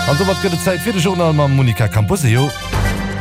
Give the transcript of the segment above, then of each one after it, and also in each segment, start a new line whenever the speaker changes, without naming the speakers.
An domat gëtt et Zäit fir de Journal mam Monica Camposeo.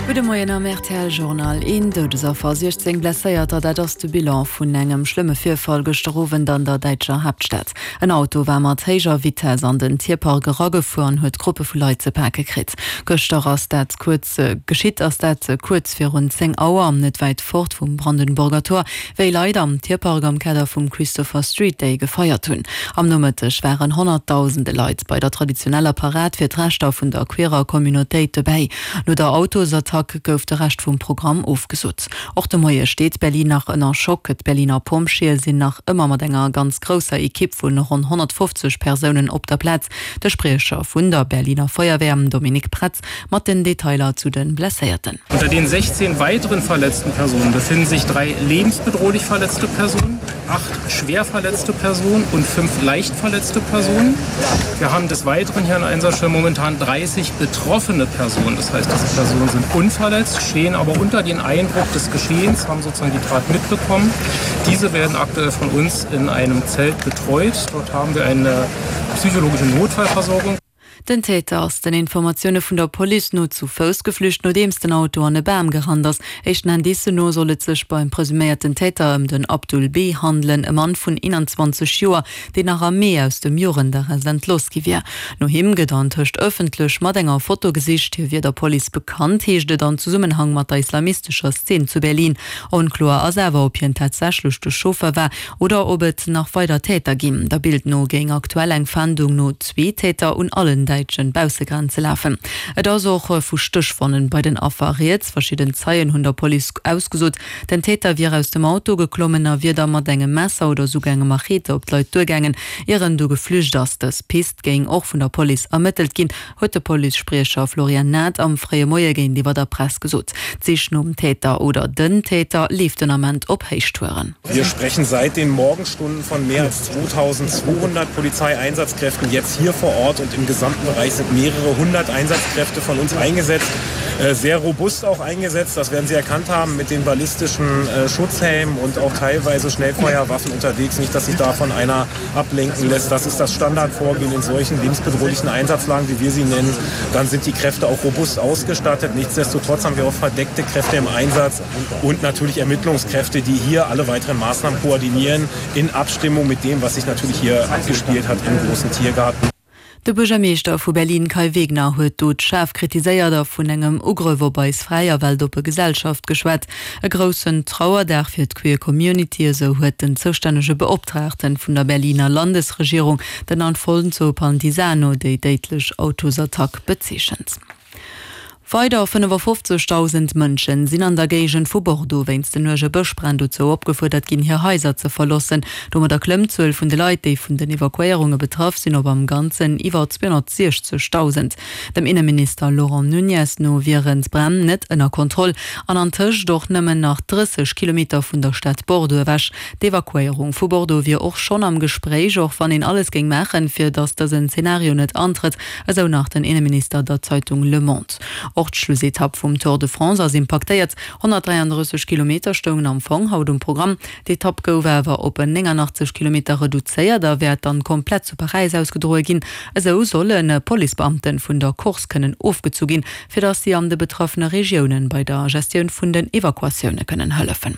Gudde Moien am rtl Journal. Een Doudesaffer, 16 Blesséierter, dat ass de Bilan vun engem schlëmme Virfall gëschter Owend an der däitscher Haaptstad. En Auto war mat héijer Vitess an den Tierpark eragefuer an huet Gruppe vu Leit ze pake kritt. Gëschter ass dat kuerz geschitt ass dat kuerz virun 10 Auer, net wäit fort vum Brandenburger Tor. Wéi Leit am Tierpark am Kader vum Christopher Street Day gefeiert hunn. Am Nomëtteg waren honnertdausende Leit bei der traditioneller Parad fir d'Rechter vun der queerer Communautéit dobäi. No der Autosattack gouf de Rescht vum Programm ofgesot. Och de Moie steet Berlin nach ënner Schock. D'Berliner Pompjeeë sinn nach ëmmer mat enger ganz grousser Ekipp vun ronn 150 Persounen op der Plaz. De Spriecher vun der Berliner Feuerwehr, Dominik Pretz, mat den Detailer zu den Blesséierten.
Unter den 16 weiteren verletzten Personen befinden sich drei lebensbedrohlich verletzte Personen, acht schwer verletzte Personen und fünf leicht verletzte Personen. Wir haben des Weiteren hier an Einsatzstelle momentan 30 betroffene Personen. Das heißt, diese Personen sind unverletzt, stehen aber unter den Eindruck des Geschehens, haben sozusagen die Tat mitbekommen. Diese werden aktuell von uns in einem Zelt betreut. Dort haben wir eine psychologische Notfallversorgung.
Den Täter ass den Informatioune vun der Police no zu Fouss geflücht, nodeems den Auto an e Bam gerannt ass. Éischten Indicen no soll et sech beim presuméierten Täter ëm den Abdul B. handelen, e Mann vun 21 Joer, deen nach am Mee aus dem Jugendarrest entlooss gi wier. No him gëtt antëscht ëffentlech mat enger Foto gesicht. Hie wier der Police bekannt, heescht et an Zesummenhang mat der islamistescher Szene zu Berlin. Onkloer ass awer, ob hien tatsächlech de Chauffer war oder ob et nach weider Täter ginn. Der Bild no géing aktuell eng Fahndung no zwee Täter un allen däitsche Baussegrenze lafen. Et ass och vu Stéchwonnen bei den Affer rieds. Verschidden Zeien hunn der Police ausgesot, den Täter wier aus dem Auto geklommen a wier da mat engem Messer oder souguer engem Machete op d'Leit duergaangen, ier en du geflücht ass. Dës Pist géing och vun der Police ermëttelt ginn, huet de Policespriecher Florian Nath am fréie Moie géintiwwer der Press gesot. D'Sich nom Täter oder den Täter leeft den Ament op Héichtouren.
Wir sprechen seit den Morgenstunden von mehr als 2200 Polizeieinsatzkräften jetzt hier vor Ort und im gesamten Bereich sind mehrere hundert Einsatzkräfte von uns eingesetzt, äh, sehr robust auch eingesetzt. Das werden Sie erkannt haben mit den ballistischen äh, Schutzhelmen und auch teilweise Schnellfeuerwaffen unterwegs. Nicht, dass sich davon einer ablenken lässt. Das ist das Standardvorgehen in solchen lebensbedrohlichen Einsatzlagen, wie wir sie nennen. Dann sind die Kräfte auch robust ausgestattet. Nichtsdestotrotz haben wir auch verdeckte Kräfte im Einsatz und natürlich Ermittlungskräfte, die hier alle weiteren Maßnahmen koordinieren in Abstimmung mit dem, was sich natürlich hier abgespielt hat im großen Tiergarten.
De Buergermeeschter vu Berlin Kai Wegner huet d'Dot schaarf kritiséiert a vun engem Ugrëff op eis fräi a weltoppe Gesellschaft geschwat. E groussen Trauerdag fir d'queer Community, esou huet den zoustännege Beoptraagten vun der Berliner Landesregierung, den Alfonso Pantisano, déi déidlech Autosattack bezeechent. Weider 55.000 Mënschen sinn an der Géigend vu Bordeaux wéinst den uerge Bëschbränn dozou opgefuerdert ginn, hir Haiser ze verloossen. Domadder klëmmt d'Zuel vun de Leit, déi vun den Evakuéierunge betraff sinn, op am Ganzen iwwer 260.000. Dem Inneminister Laurent Nunez no wieren d'Bränn net ënner Kontroll an antëscht och nëmmen nach 30 Kilometer vun der Stad Bordeaux ewech. D'Evakuéierung vu Bordeaux wier och schonn am Gespréich, och wann een alles géing maachen, fir datt dësen Zenario net antrëtt. Esou nach den Inneminister der Zeitung Le Monde. Och d'Schlussetapp vum Tour de France ass impaktéiert. 133 Kilometer stoungen am Fong haut um Programm. D'Etapp gouf awer op 89 Kilometer reduzéiert a wäert dann komplett zu Paräis ausgedroe ginn. Esou solle Policebeamte vun der Course kënnen ofgezu ginn, fir datt si an de betraffene Regiounen bei der Gestioun vun den Evakuatioune kënnen hëllefen.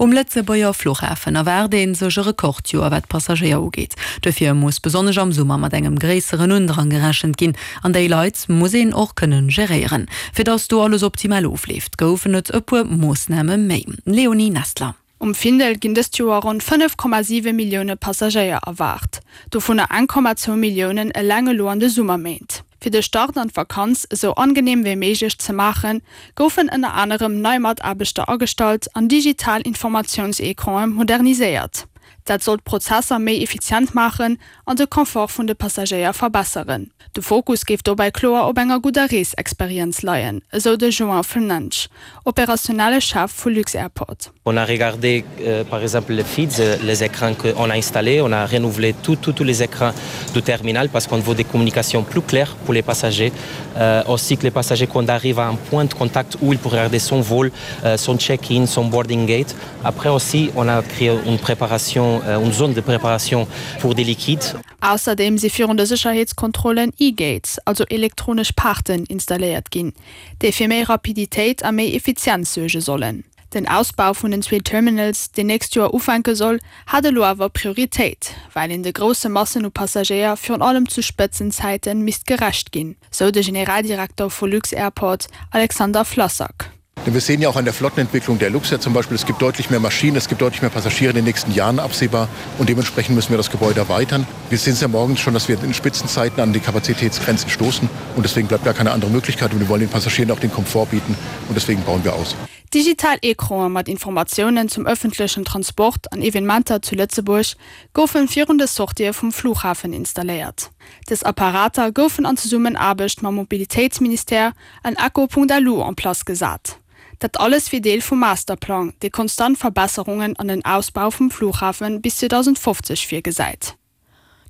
Um Lëtzebuerger Fluchhafen erwaart ee sech e Rekordjoer wat d'Passagéier ugeet. Dofir muss besonnesch am Summer mat engem gréisseren Undrang gerechent ginn. An déi Leit muss een och kënne geréieren. Fir datt do alles optimal ofleeft, goufen et e puer Moossname méi. Léonie Nestler.
Um Findel ginn dëst Joer ronn 5,7 Millioune Passagéier erwaart, dovunner 1,2 Milliounen eleng elo an de Summerméint. Fir de Start an d'Vakanz esou angeneem wéi méiglech ze maachen, goufen ënner anerem nei Mataarbechter agestallt an digital Informatiounsecranen moderniséiert. Dat soll d'Prozesser méi effizient maachen an de Confort vun de Passagéier verbesseren. De Fokus géif dobäi kloer op enger gudder Reesexperienz leien, esou de João Fernandes, operationelle Chef vu lux-Airport.
On a regardé par exemple les feeds, les écrans qu'on a installés, on a renouvelé tout, tout, tous les écrans du terminal parce qu'on veut des communications plus claires pour les passagers. Euh, aussi que les passagers quand arrivent à un point de contact où ils pourraient regarder son vol, euh, son check-in, son boarding gate. Après aussi, on a créé une préparation. préparation, euh, une zone de préparation pour des liquides.
Ausserdeem si virun de Sécherheetskontrollen E-Gates, also elektronesch Paarten, installéiert ginn, déi fir méi Rapiditéit a méi Effizienz suerge sollen. Den Ausbau vun den zwee Terminals, deen nächst Joer ufänke soll, hat elo awer Prioritéit, well een de grousse Massen u Passagéier virun allem zu Spëtzenzäite misst gerecht ginn, sou de Generaldirekter vu lux-Airport Alexander Flassak.
Denn wir sehen ja auch an der Flottenentwicklung der Luxair zum Beispiel, es gibt deutlich mehr Maschinen, es gibt deutlich mehr Passagiere in den nächsten Jahren absehbar und dementsprechend müssen wir das Gebäude erweitern. Wir sehen es ja morgens schon, dass wir in Spitzenzeiten an die Kapazitätsgrenzen stoßen und deswegen bleibt gar keine andere Möglichkeit und wir wollen den Passagieren auch den Komfort bieten und deswegen bauen wir aus.
Digital Ecranen mat Informatiounen zum ëffentlechen Transport an Evenementer zu Lëtzebuerg goufen virun de Sortië vum Flughafen installéiert. Dës Apparater goufen an Zesummenaarbecht mam Mobilitéitsministère an Echo.lu en place gesat. Dat alles wier Deel vum Masterplang, dee konstant Verbesserungen an den Ausbau vum Flughafen bis 2050 virgesäit.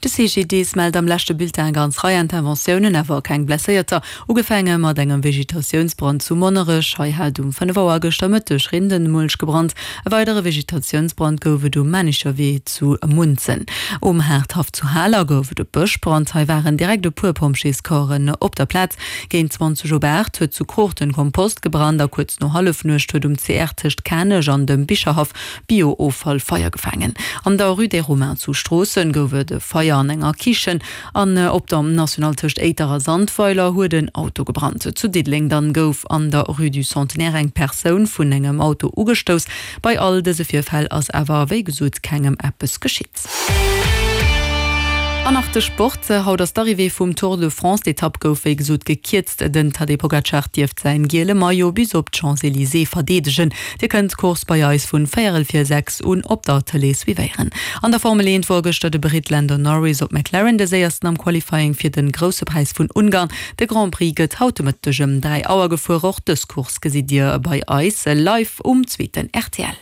De CGDIS mellt am leschte Bulletin eng ganz Rei Interventiounen, awer keng Blesséierter. Ugefaange mat engem Vegetatiounsbrand zu Monnerech. Hei hat um 5 Auer gëschter Mëtteg Rindenmulch gebrannt. E weidere Vegetatiounsbrand gouf et um Manischerwee zu Munzen. Um Haardhaff zu Haler gouf et e Bëschbrand. Hei waren direkt e puer Pompjeescorpsen op der Plaz. Géint 20 op 8 huet zu Kruuchten Kompost gebrannt a kuerz no Hallefnuecht huet um CR tëscht Kanech an dem Bicherhaff Bio-Offall Feier gefaangen. An der Rue des Romains zu Stroossen gouf et e Feier an enger Kichen an op der Nationale tëscht Éiter a Sandweiler huet en Auto gebrannt. Zu Diddeleng dann gouf an der Rue du Centenaire eng Persoun vun engem Auto ugestouss. Bei all dëse Virfäll ass awer wéi gesot kengem eppes geschitt. An nach de Sport, Haut ass d'Arrivée vum Tour de France. D'Etapp gouf wéi gesot gekierzt. Den Tadej Pogacar dierft säin giele Maillot bis op d'Champs-Elysées verdeedegen. Dir kënnt d'Course bei eis vun véierel vir 6 un op der Tëlee suivéieren. An der Formel 1 wor gëschter de Brit Lando Norris op McLaren de séiersten am Qualifying fir den Grousse Präis vun Ungarn. De Grand Prix gëtt haut de Mëtteg ëm 3 Auer gefuer. Och dës Course gesitt dir bei eis live um zweeten rtl.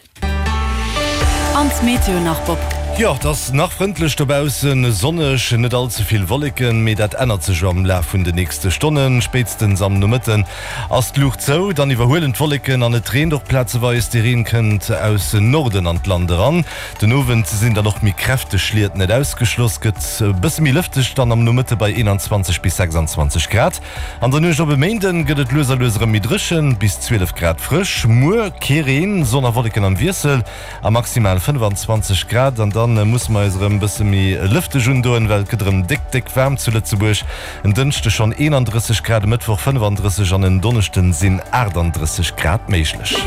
An d'Meteo nach, Bob?
Jo, et ass nach frëndlech dobaussen, sonneg, net all ze vill Wolleken, mee dat ännert sech am Laf vun de nächste Stonnen. Spéitstens am Nomëtten ass d'Luucht zou, dann iwwerhuelen d'Wolleken an et reent och plazeweis. De Reen kënnt aus Norden an d'Land eran. Den Owend sinn dann och méi kräfteg Schliet net ausgeschloss, gëtt e bësse méi lëfteg dann am Nomëtte bei 21 bis 26 Grad. An der Nuecht op e Méinden gëtt et lues a lues erëm méi dréchen, bis 12 Grad frësch. Muer kee Reen, Sonn a Wolleken am Wiessel a maximal 25 Grad. An da musse mer eis erëm e bësse méi lëfteg undoen, well et gëtt erëm déck, déck waarm zu Lëtzebuerg. En Dënschde schonn 31 Grad, e Mëttwoch 35 an en Donneschden sinn 38 Grad méiglech.